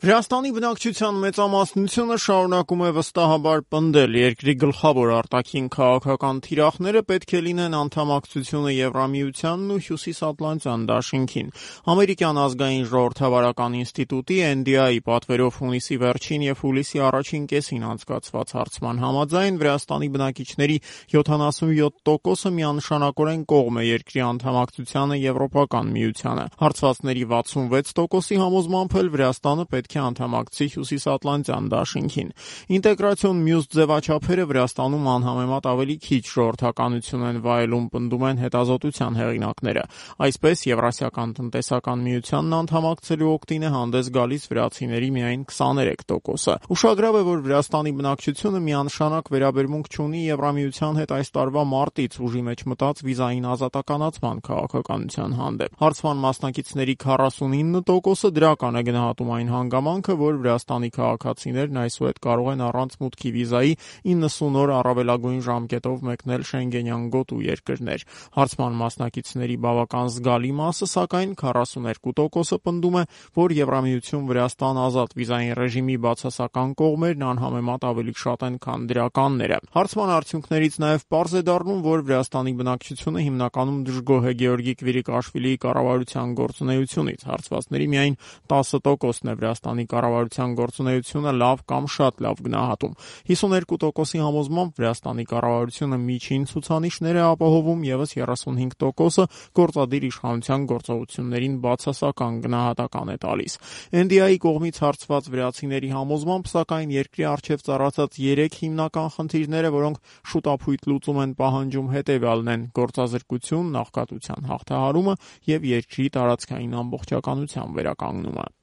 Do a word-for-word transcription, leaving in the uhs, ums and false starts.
Վրաստանի բնակչության մեծամասնությունը շարունակում է վստահաբար պնդել. երկրի գլխավոր արտաքին քաղաքական թիրախները պետք է լինեն անդամակցությունը Եվրամիությանն ու Հյուսիսատլանտյան դաշինքին։ Ամերիկյան ազգային ժողովրդավարական ինստիտուտի Էն Դի Էյ պատվերով հունիսի վերջին և հուլիսի առաջին կեսին անցկացված հարցման համաձայն Վրաստանի բնակիչների յոթանասունյոթ տոկոսը միանշանակորեն կողմ է երկրի անդամակցությանը Եվրոպական միությանը։ Հարցվածների վաթսունվեց տոկոսի համոզմամբ էլ Վրաստանը պետք է անդամակցի Հյուսիսատլանտյան դաշինքին։ Ինտեգրացիոն մյուս ձևաչափերը Վրաստանում անհամեմատ ավելի քիչ ժողովրդականություն են վայելում, պնդում են հետազոտության հեղինակները։ Այսպես, Եվրասիական տնտեսական միությանն անդամակցելու օգտին է հանդես գալիս վրացիների միայն քսաներեք տոկոսը։ Ուշագրավ է, որ Վրաստանի բնակչությունը միանշանակ վերաբերմունք չունի Եվրամիության հետ այս տարվա մարտից ուժի մեջ մտած վիզային ազատականացման քաղաքականության հանդեպ։ Հարցման մասնակիցների քառասունինը տոկոսը դրական է գնահատում այն հանգամանքը, որ Վրաստանի քաղաքացիներն այսուհետ կարող են առանց մուտքի վիզայի իննսուն օր առավելագույն ժամկետով մեկնել Շենգենյան գոտու երկրներ։ Հարցման մասնակիցների բավական զգալի մասը, սակայն քառասուներկու տոկոսը պնդում է, որ Եվրամիություն-Վրաստան ազատ վիզային ռեժիմի բացասական կողմերն անհամեմատ ավելի շատ են, քան դրականները։ Հարցման արդյունքներից նաև պարզ է դառնում, որ Վրաստանի բնակչությունը հիմնականում դժգոհ է Գեորգի Քվիրիկաշվիլիի կառավարության գործունեությունից։ Հարցվածների միայն տասը տոկոսն է Վրաստանի կառավարության գործունեությունը լավ կամ շատ լավ գնահատում։ հիսուներկու տոկոսի համոզմամբ Վրաստանի կառավարությունը միջին ցուցանիշներ է ապահովում, ևս երեսունհինգ տոկոսը գործադիր իշխանության գործողություններին բացասական գնահատական է տալիս։ Էն Դի Էյ կողմից հարցված վրացիների համոզմամբ, սակայն երկրի առջև ծառացած երեք հիմնական խնդիրները, որոնք շուտափույթ լուծում են պահանջում, հետևյալն են՝ գործազրկություն, նախկատության հաղթահարումը և երկրի տարածքային ամբողջականության վերականգնումը։